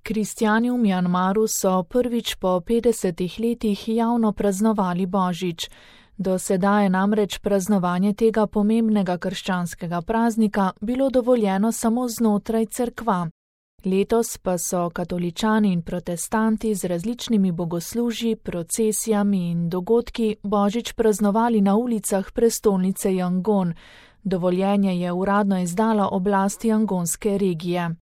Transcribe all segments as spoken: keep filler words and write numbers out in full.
Kristjani v Mjanmaru so prvič po petdesetih letih javno praznovali Božič. Do sedaj je namreč praznovanje tega pomembnega krščanskega praznika bilo dovoljeno samo znotraj cerkva. Letos pa so katoličani in protestanti z različnimi bogoslužji, procesijami in dogodki Božič praznovali na ulicah prestolnice Yangon. Dovoljenje je uradno izdala oblast yangonske regije.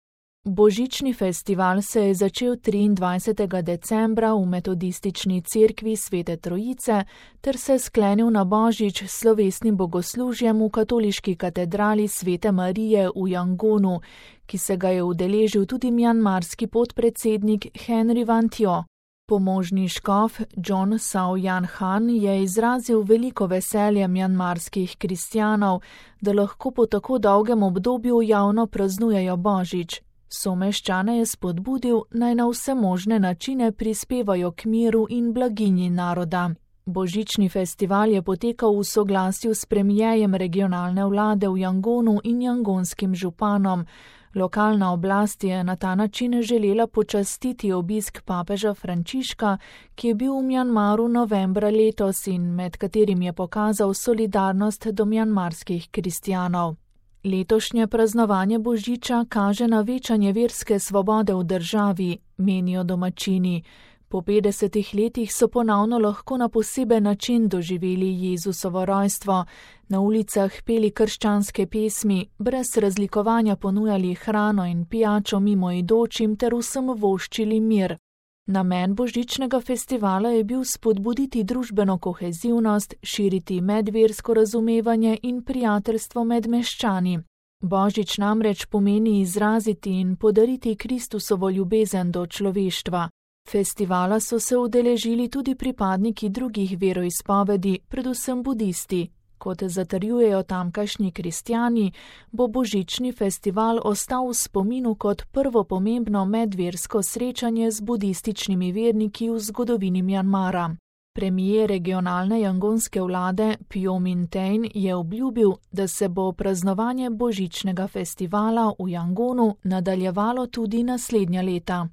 Božični festival se je začel triindvajsetega decembra v metodistični cerkvi Svete Trojice ter se sklenil na Božič s slovesnim bogoslužjem v katoliški katedrali Svete Marije v Yangonu, ki se ga je udeležil tudi mjanmarski podpredsednik Henry Van Thieu. Pomožni škof John Sao Yan Han je izrazil veliko veselje mjanmarskih kristjanov, da lahko po tako dolgem obdobju javno praznujejo Božič. Someščane je spodbudil, naj na vse možne načine prispevajo k miru in blaginji naroda. Božični festival je potekal v soglasju s premierjem regionalne vlade v Yangonu in yangonskim županom. Lokalna oblast je na ta način želela počastiti obisk papeža Frančiška, ki je bil v Mjanmaru novembra letos in med katerim je pokazal solidarnost do mjanmarskih kristjanov. Letošnje praznovanje Božiča kaže na večanje verske svobode v državi, menijo domačini. Po petdesetih letih so ponovno lahko na poseben način doživeli Jezusovo rojstvo, na ulicah peli krščanske pesmi, brez razlikovanja ponujali hrano in pijačo mimoidočim ter vsem voščili mir. Namen božičnega festivala je bil spodbuditi družbeno kohezivnost, širiti medversko razumevanje in prijateljstvo med meščani. Božič namreč pomeni izraziti in podariti Kristusovo ljubezen do človeštva. Festivala so se udeležili tudi pripadniki drugih veroizpovedi, predvsem budisti. Kot zatrjujejo tamkajšnji kristjani, bo božični festival ostal v spominu kot prvo pomembno medversko srečanje z budističnimi verniki v zgodovini Mjanmara. Premijer regionalne yangonske vlade Phyo Min Thein je obljubil, da se bo praznovanje božičnega festivala v Yangonu nadaljevalo tudi naslednja leta.